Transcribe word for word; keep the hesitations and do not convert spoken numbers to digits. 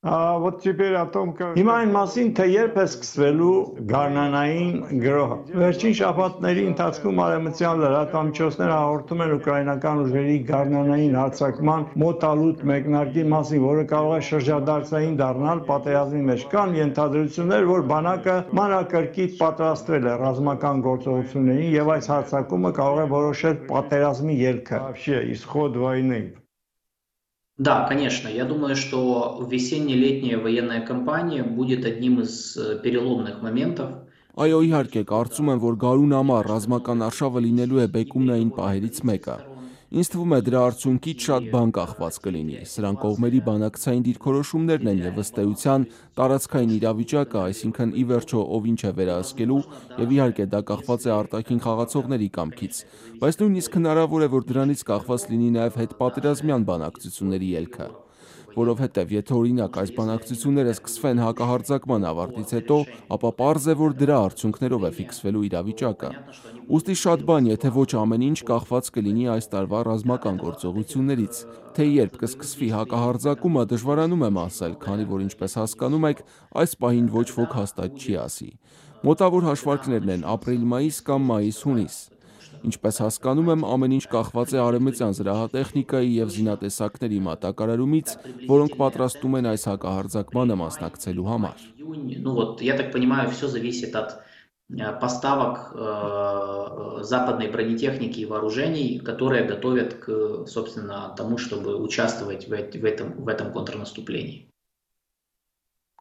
А вот теперь о том, как... Հիմա այն մասին, թե երբ է սկսվելու գարնանային գրոհը։ Վերջին շաբաթների ընթացքում արևմտյան լրատվամիջոցները հաղորդում են ուկրաինական ուժերի գարնանային հարձակման մոտալուտ մեկնարկի մասին, որը կարող է շրջադարձային դառնալ պատերազմի մեջ։ Կան ենթադրություններ, որ բանակը մանրակրկիտ պատրաստվել է ռազմական գործողություններին եւ այս հարձակումը կարող է որոշել պատերազմի ելքը։ Вообще исход войны. Да, конечно. Я думаю, что весенне-летняя военная кампания будет одним из переломных моментов. Այո, իհարկե, կարծում եմ, որ գարուն ամառ ռազմական արշավը լինելու է բեկումնային պահերից մեկը։ Ինձ թվում է դրա արդյունքից շատ բան կախված կլինի։ Սրանք կողմերի բանակցային դիրքորոշումներն են եւ ըստ էության տարածքային իրավիճակը, այսինքն ի վերջո ով ինչ է վերահսկելու եւ իհարկե դա կախված է արտաքին խաղացողների կամքից, բայց նույնիսկ հնարավոր է, որ դրանից կախված լինի նաեւ հետպատերազմյան բանակցությունների ելքը։ Որովհետև եթե օրինակ այս բանակցությունները սկսվեն հակահարձակման ավարտից հետո, ապա պարզ է, որ դրա արդյունքներով է ֆիքսվելու իրավիճակը։ Ուստի շատ բան, եթե ոչ ամեն ինչ կախված կլինի այս տարվա ռազմական գործողություններից, թե երբ կսկսվի հակահարձակումը դժվարանում եմ ասել, քանի որ ինչպես հասկանում եք, այս պահին ոչ ոք հաստատ չի ասի։ Մոտավոր հաշվարկներն են ապրիլ-մայիս կամ մայիս-հունիս։ Ինչպես հասկանում եմ, ամեն ինչ կախված է արևմտյան զրահատեխնիկայի եւ զինատեսակների մատակարարումից, որոնք պատրաստում են այս հակահարձակմանը մասնակցելու համար։ Ну вот, я так понимаю, все зависит от поставок западной бронетехники и вооружений, которые готовят к, собственно, тому, чтобы участвовать в этом, в этом контрнаступлении.